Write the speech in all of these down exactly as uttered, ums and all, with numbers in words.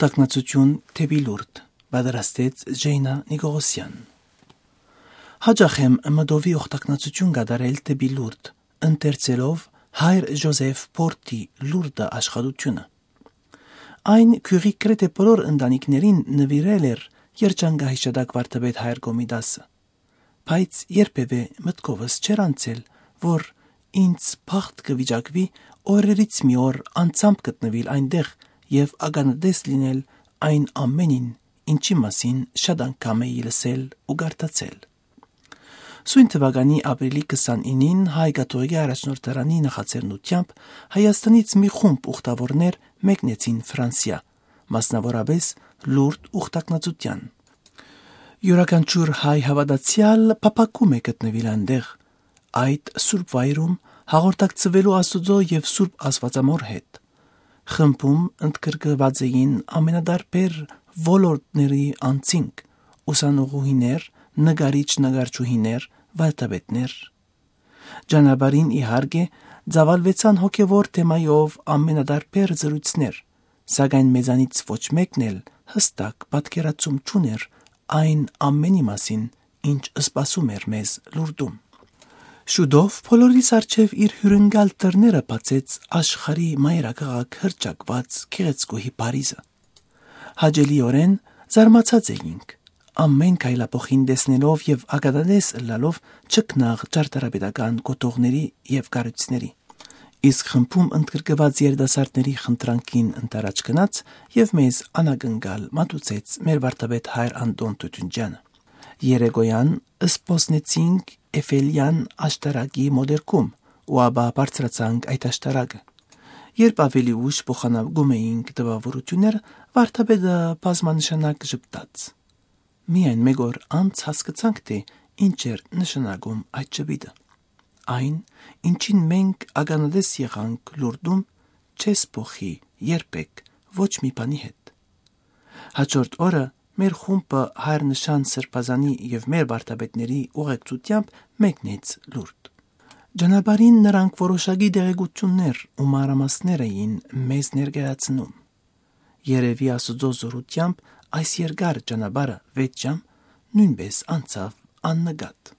Օգտագնացութիւն դէպի Լուրդ, պատրաստեց Ժեյնա Նիկողոսեան։ Յաճախ եմ մտովի օգտագնացութիւն կատարել դէպի Լուրդ, ընթերցելով Հայր Ժոզեֆ Փորթի Լուրդը աշխատութիւնը։ Այն գիւղի գրեթէ բոլոր ընտանիքներին նուիրել էր երջանկահիշատակ վարդապետ Հայր Կոմիտասը։ Բայց երբեւէ մտքովս չէր անցել, որ ինձ բախտ կը վիճակուի օրերից մի օր անձամբ գտնուիլ այնտեղ եւ ականատես լինել այն ամենին, ինչի մասին շատ անգամ էի լսել ու կարդացել։ Սոյն թուականի ապրիլի քսանինին Հայ կաթողիկէ առաջնորդարանի նախաձեռնութեամբ Հայաստանից մի խումբ ուխտավորներ մեկնեցին Ֆրանսիա, մասնաւորապէս Լուրդ ուխտագնացութեան։ Իւրաքանչիւր հայ հաւատացեալ փափաքում է գտնուիլ այնտեղ, այդ սուրբ վայրում, հաղորդակցուելու Աստուծոյ եւ Սուրբ Աստուածամօր հետ։ Խմբում ընդգրկուած էին ամենատարբեր ոլորտների անձինք՝ ուսանողուհիներ, նկարիչ-նկարչուհիներ, վարդապետներ։ Ճանապարհին, իհարկե, ծաւալուեցան հոգեւոր թեմայով ամենատարբեր զրոյցներ, սակայն մեզանից ոչ մէկն էլ յստակ պատկերացում չունէր այն ամենի մասին, ինչ սպասում էր մեզ Լուրդում։ Շուտով բոլորիս առջեւ իր հիւրընկալ դռները բացեց աշխարհի մայրաքաղաք հռչակուած գեղեցկուհի Փարիզը։ Հաճելիօրէն զարմացած էինք, ամէն քայլափոխին տեսնելով եւ ականատես ըլլալով չքնաղ ճարտարապետական կոթողների եւ կառոյցների։ Իսկ խմբում ընդգրկուած երիտասարդների խնդրանքին ընդառաջ գնաց եւ մեզ անակնկալ մատուցեց մեր վարդապետ Հայր Անտոն Թութունջեանը։ Երեկոյան սպոսնեցինք Էֆելեան աշտարակի մոտերքում ու ապա բարձրացանք այդ աշտարակը։ Երբ աւելի ուշ փոխանակում էինք տպաւորութիւնները, վարդապետը բազմանշանակ ժպտաց։ Միայն մէկ օր անց հասկցանք, թէ ինչ էր նշանակում այդ ժպիտը։ Այն, ինչին մենք ականատես եղանք Լուրդում, չես փոխի երբեք ոչ մի բանի հետ։ Հաջորդ օրը մեր խումբը Հայր Նշան Սրբազանի եւ մեր վարդապետների ուղեկցութեամբ մեկնեց Լուրդ։ Ճանապարհին նրանք որոշակի տեղեկութիւններ ու մանրամասներ էին մեզ ներկայացնում։ Երեւի Աստուծոյ զօրութեամբ այս երկար ճանապարհը վեց ժամ նոյնպէս անցաւ աննկատ։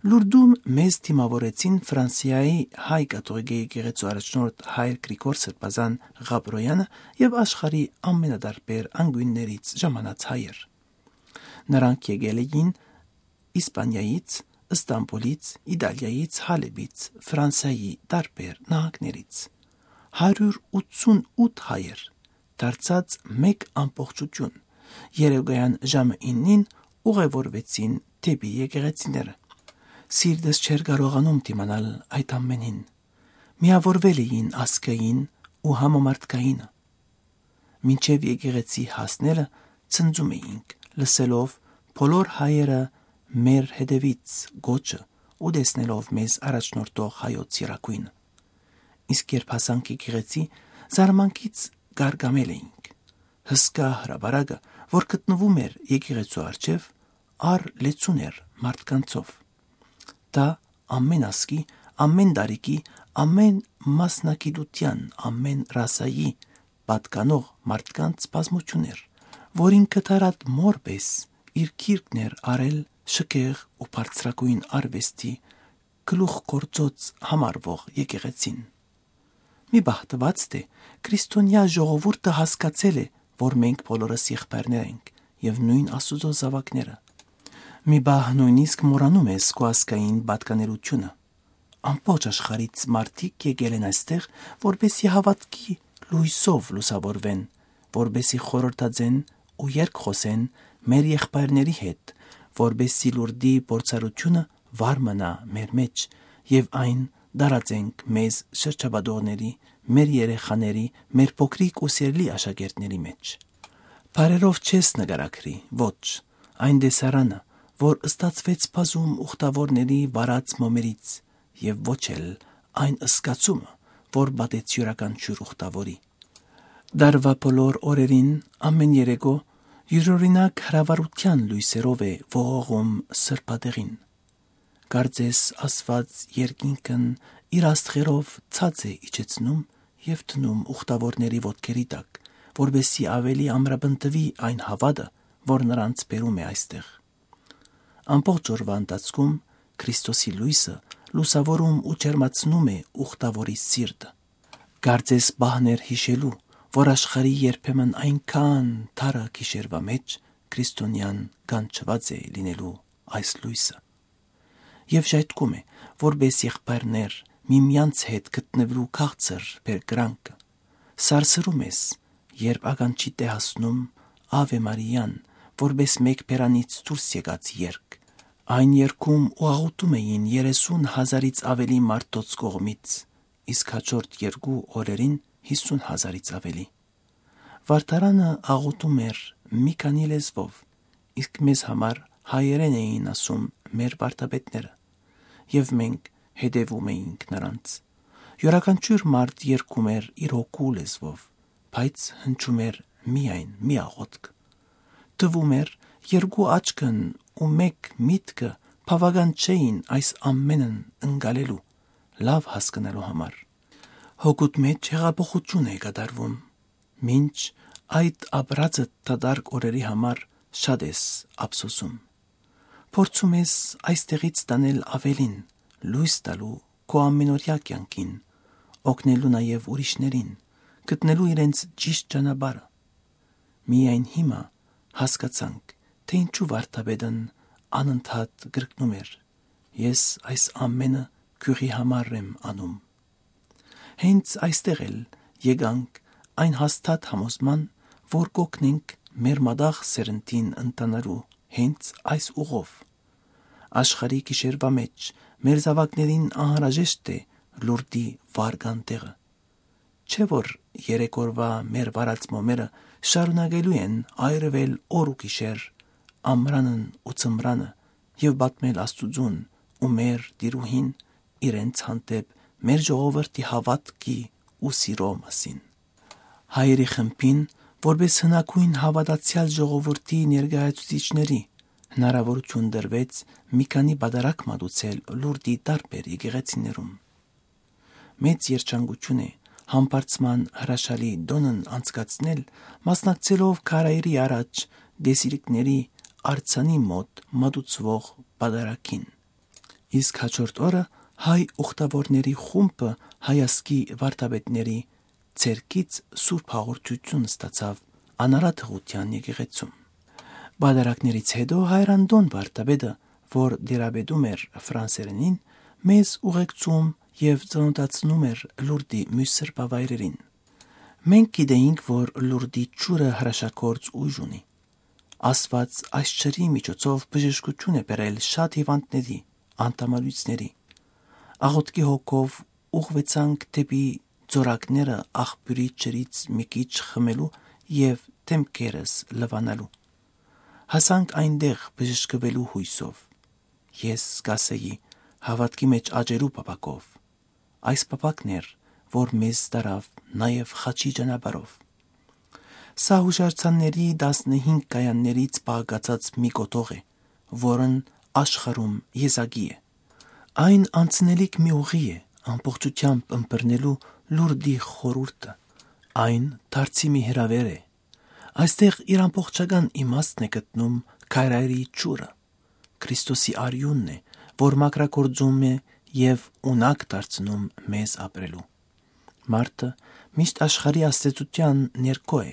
Լուրդում մեզ դիմաւորեցին Ֆրանսիայի հայ կաթողիկէ եկեղեցու առաջնորդ Հայր Գրիգոր Սրբազան Ղաբրոյանը եւ աշխարհի ամենատարբեր անկիւններից ժամանած հայեր։ Նրանք եկել էին Իսպանիայից, Ստամբուլից, Իտալիայից, Հալէպից, Ֆրանսայի տարբեր նահանգներից։ Հարիւր ութսունութ հայեր, դարձած մէկ ամբողջութիւն, երեկոյան ժամը իննին ուղեւորուեցին դէպի եկեղեցիները։ Սիրտս չէր կարողանում դիմանալ այդ ամենին։ Միաւորվել էին ազգային ու համամարդկայինը։ Մինչեւ եկեղեցի հասնելը ցնծում էինք, լսելով բոլոր հայերը մեր հետեւից գոչը ու տեսնելով մեզ առաջնորդող հայոց եռագոյնը։ Իսկ երբ հասանք եկեղեցի, զարմանքից գարգամել էինք։ Հսկայ հրապարակը, որ գտնուում էր եկեղեցու առջեւ, առ լեցուն էր մարդկանցով։ Դա ամէն ազգի, ամէն տարիքի, ամէն մասնագիտութեան, ամէն ռասայի պատկանող մարդկանց բազմութիւն էր, որ ինքը դարատ մօր պէս իր գիրկն էր առել շքեղ ու բարձրագոյն արուեստի գլուխգործոց համարվող եկեղեցին։ Մի պահ տուած, թէ քրիստոնեայ ժողովուրդը հասկացել է, որ մենք բոլորս եղբայրներ ենք եւ նոյն Աստուծոյ զաւակները։ Մի պահ նոյնիսկ մոռանում ես քո ազգային պատկանելիությունը։ Ամբողջ աշխարհից մարդիկ եկել են այստեղ, որպեսզի հաւատքի լոյսով լուսաւորուեն, որպեսզի խորհրդածեն ու երկխօսեն մեր եղբայրների հետ, որպեսզի Լուրդի փորձառութիւնը վառ մնայ մեր մէջ եւ այն տարածենք մեզ շրջապատողների, մեր երեխաների, մեր փոքրիկ ու սիրելի աշակերտների մէջ։ Բառերով չես նկարագրի, ոչ, այն տեսարանը, որ ստացուեց բազում ուխտավորների վառած մոմերից, եւ ոչ էլ այն զգացումը, որ պատեց իւրաքանչիւր ուխտավորի։ Տարուայ բոլոր օրերին, ամէն երեկոյ, իւրօրինակ հրավառութեան լոյսերով է ողողում սրբատեղին։ Կարծես Աստուած երկինքն իր աստղերով ցած է իջեցնում եւ դնում ուխտավորների ոտքերի տակ, որպեսզի աւելի ամրապնդուի այն հաւատը, որ նրանց բերում է այստեղ։ Ամբողջ օրուայ ընթացքում Քրիստոսի լոյսը լուսաւորում ու ջերմացնում է ուխտաւորի սիրտը։ Կարծես պահներ յիշելու, որ աշխարհի երբեմն այնքան թարը գիշերուայ մէջ քրիստոնեան կանչուած է լինելու այս լոյսը։ Եւ ժայթքում է, որպէս եղբայրներ միմյանց հետ գտնելու քաղցր բերկրանքը։ Սարսռում ես, երբ ականջիդ է հասնում Ave Maria-ն, որպէս մէկ բերանից դուրս եկած երգ։ Այն երգում ու աղոթում էին երեսուն հազարից աւելի մարդոց կողմից, իսկ հաջորդ երկու օրերին՝ հիսուն հազարից աւելի։ Վարդարանը աղոթում էր մի քանի լեզուով, իսկ մեզ համար հայերէն էին ասում մեր վարդապետները, եւ մենք հետեւում էինք նրանց։ Յուրաքանչիւր մարդ երգում էր իր հոգու լեզուով, բայց հնչում էր միայն մի աղոթք։ Թվում էր, երկու աչքն ու մէկ միտքը բաւական չէին այս ամէնն ընկալելու, լաւ հասկնալու համար։ Հոգուդ մէջ հեղափոխութիւն է կատարվում, մինչ այդ ապրածդ դատարկ օրերի համար շատ ես ափսոսում։ Փորձում ես այստեղից տանել աւելին, լոյս տալու քո ամենօրեայ կեանքին, օգնելու նաեւ ուրիշներին, գտնելու իրենց ճիշդ ճանապարհը։ Միայն հիմա հասկացանք, թէ ինչու վարդապետն անընդհատ կրկնում էր. «Ես այս ամէնը գիւղի համար եմ անում»։ Հենց այստեղ էլ եկանք այն հաստատ համոզման, որ կօգնենք մեր մատաղ սերնդին ընթանալու հենց այս ուղով։ Աշխարհի գիշերուայ մէջ մեր զաւակներին անհրաժեշտ է Լուրդի վարկան տեղը։ Չէ՞ որ երեք օրուայ մեր վարած մոմերը շարունակելու են այրուել օր ու գիշեր, ամրանն ու ձմրանը, եւ պատմել Աստուծուն ու մեր տիրուհին իրենց հանդէպ մեր ժողովրդի հաւատքի ու սիրո մասին։ Հայերի խմբին, որպէս հնագոյն հաւատացեալ ժողովրդի ներկայացուցիչների, հնարաւորութիւն տրուեց մի քանի պատարագ մատուցել Լուրդի տարբեր եկեղեցիներուն։ Մեծ երջանկութիւն է համբարձման հրաշալի տօնն անցկացնել, մասնակցելով քարայրի առաջ դեսիրիկների արձանի մօտ մատուցուող պատարագին։ Իսկ հաջորդ օրը հայ ուխտաւորների խումբը հայազգի վարդապետների ձեռքից սուրբ հաղորդութիւն ստացաւ Անարատ Հղութեան եկեղեցում։ Պատարագներից հետո Հայր Անտոն վարդապետը, որ դերապետում էր ֆրանսերէնին, մեզ ուղեկցում եւ ծանօթացնում էր Լուրդի միւս սրբավայրերին։ Մենք գիտեինք, որ Լուրդի ջուրը հրաշագործ ուժ ունի։ Աստուած այս ջրի միջոցով բժշկութիւն է բերել շատ հիւանդների, անդամալոյցների։ Աղօթքի հոգով ուղղուեցանք դէպի ծորակները աղբիւրի ջրից մի քիչ խմելու եւ դէմքերս լուանալու։ Հասանք այնտեղ բժշկուելու յոյսով։ Ես կ'ասէի, հաւատքի մէջ աճելու փափաքով։ Այս փափաքն էր, որ մեզ տարաւ նաեւ խաչի ճանապարհով։ Սա յուշարձանների տասնհինգ կայաններից պահակացած մի կոթող է, որն աշխարհում եզակի է։ Այն անցնելիք մի ուղի է, ամբողջությամբ ըմբռնելու Լուրդի խորհուրդը։ Այն դարձի մի հրաւեր է։ Այստեղ իր ամբողջական իմաստն է գտնում քարայրի ջուրը։ Քրիստոսի արիւնն է, որ մաքրագործում է եւ ունակ դարձնում մեզ ապրելու։ Մարդը միշտ աշխարհի ազդեցութեան ներքո է,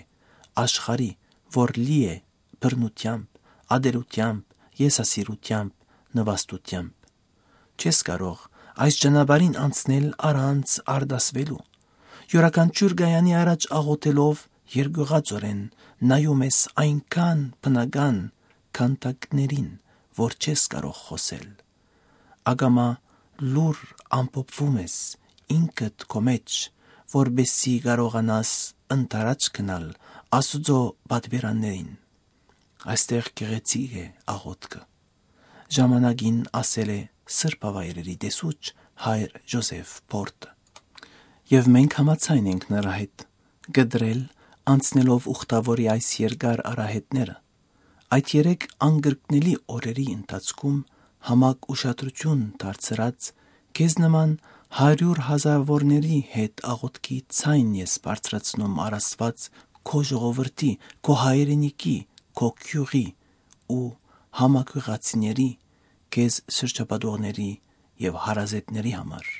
աշխարհի, որ լի է բռնութեամբ, ատելութեամբ, եսասիրութեամբ, նուաստութեամբ։ Չես կարող այս ճանապարհին անցնել առանց արտասվելու։ Յուրաքանչիւր կայանի առաջ աղօթելով երկյուղածորեն նայում ես այնքան բնական քանդակներին, որ չես կարող խօսել։ Ակամա լուռ ամփոփվում ես ինքդ քո մեջ, որպեսզի կարողանաս ընդառաջ գնալ Աստուծոյ պատուիրաններին։ Այստեղ գեղեցիկ է աղօթքը, ժամանակին ասել է սրբավայրերի տեսուչ հայր Յոզեֆ Փորտը։ Եւ մենք համաձայն ենք նրա հետ, կտրել, անցնելով ուխտաւորի այս երկար արահետները, այդ երեք անկրկնելի օրերի ընթացքում համակ ուշադրութիւն դարձրած, քեզ նման հարիւր հազարաւորների հետ աղօթքի ձայն ես բարձրացնում առ Աստուած քո ժողովրդի, քո հայրենիքի, քո գիւղի ու համագիւղացիների, քեզ շրջապատողների եւ հարազատների համար։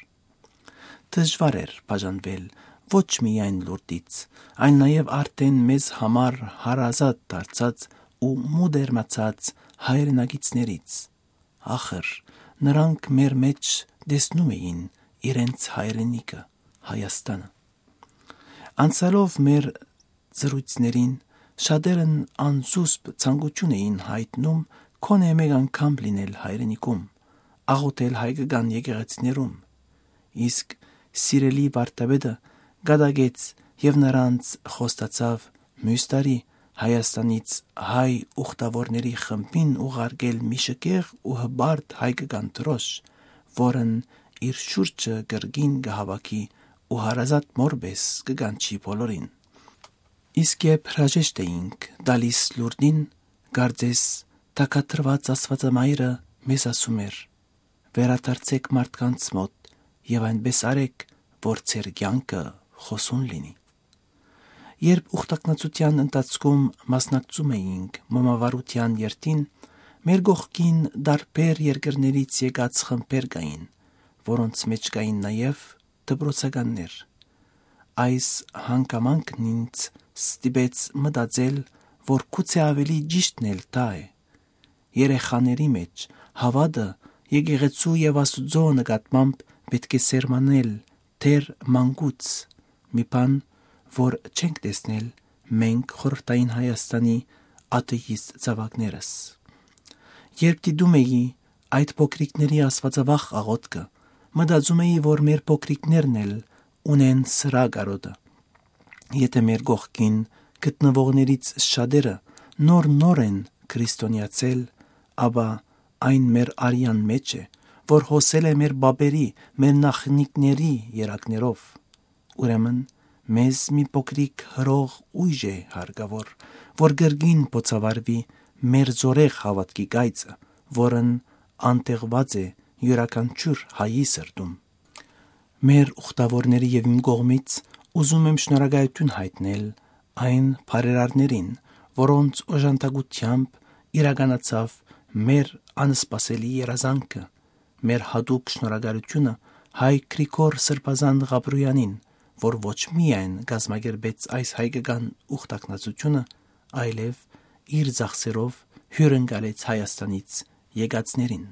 Դժուար էր բաժանվել ոչ միայն Լուրդից, այլ նաեւ արդէն մեզ համար հարազատ դարձած ու մտերմացած հայրենակիցներից։ Ախր, նրանք մեր մէջ տեսնում էին իրենց հայրենիքը, Հայաստանը։ Անցալով մեր զրոյցներին, շատերն անզուսպ ցանկություն էին յայտնում գոնե մէկ անգամ լինել հայրենիքում, աղօթել հայկական եկեղեցիներուն։ Իսկ սիրելի վարդապետը կատակեց եւ նրանց խոստացաւ մյուս տարի Հայաստանից հայ ուխտաւորների խմբին ուղարկել մի շքեղ ու հպարտ հայկական դրոշ, որն իր շուրջը կրկին կը հաւաքի ու հարազատ մօրպէս կը կանչի բոլորին։ Իսկ երբ հրաժեշտ էինք տալիս Լուրդին, կարծես թագադրուած Աստուածամայրը մեզ ասում էր. «Վերադարձէք մարդկանց մօտ եւ այնպէս արէք, որ ձեր կեանքը խօսուն լինի»։ Երբ ուխտակնացութեան ընթացքում մասնակցում էինք մոմավառութեան երթին, մեր կողքին տարբեր երկրներից եկած խմբեր կային, որոնց մէջ կային նաեւ դպրոցականներ։ Այս հանգամանքն ինձ ստիպեց մտածել, որ գուցե աւելի ճիշդն էլ դա է։ Երեխաների մէջ հաւատը եկեղեցու եւ Աստուծոյ նկատմամբ պէտք է սերմանել դեռ մանկուց, մի բան, որ չենք տեսնել մենք խորհրդային Հայաստանի աթէիստ զաւակներս։ Երբ դիտում էի այդ փոքրիկների աստուածավախ աղօթքը, մտածում էի, որ մեր փոքրիկներն էլ ունեն սրա կարօտը։ Եթէ մեր կողքին գտնուողներից շատերը նոր-նոր են քրիստոնեացել, ապա այն մեր արեան մէջ է, որ հոսել է մեր պապերի, մեր նախնիքների երակներով։ Ուրեմն, մեզ մի փոքրիկ հրող ուժ է հարկաւոր, որ կրկին բոցավառուի մեր զօրեղ հաւատքի կայծը, որն անտեղուած է իւրաքանչիւր հայի սրտում։ Մեր ուխտաւորների եւ իմ կողմից ուզում եմ շնորհակալութիւն յայտնել այն բարերարներին, որոնց օժանդակութեամբ իրականացաւ մեր անսպասելի երազանքը։ Մեր յատուկ շնորհակալութիւնը հայ Գրիգոր Սրբազան Ղաբրոյանին, որ ոչ միայն կազմակերպեց այս հայկական ուխտակնացութիւնը, այլեւ իր ծախսերով հիւրընկալեց Հայաստանից եկածներին։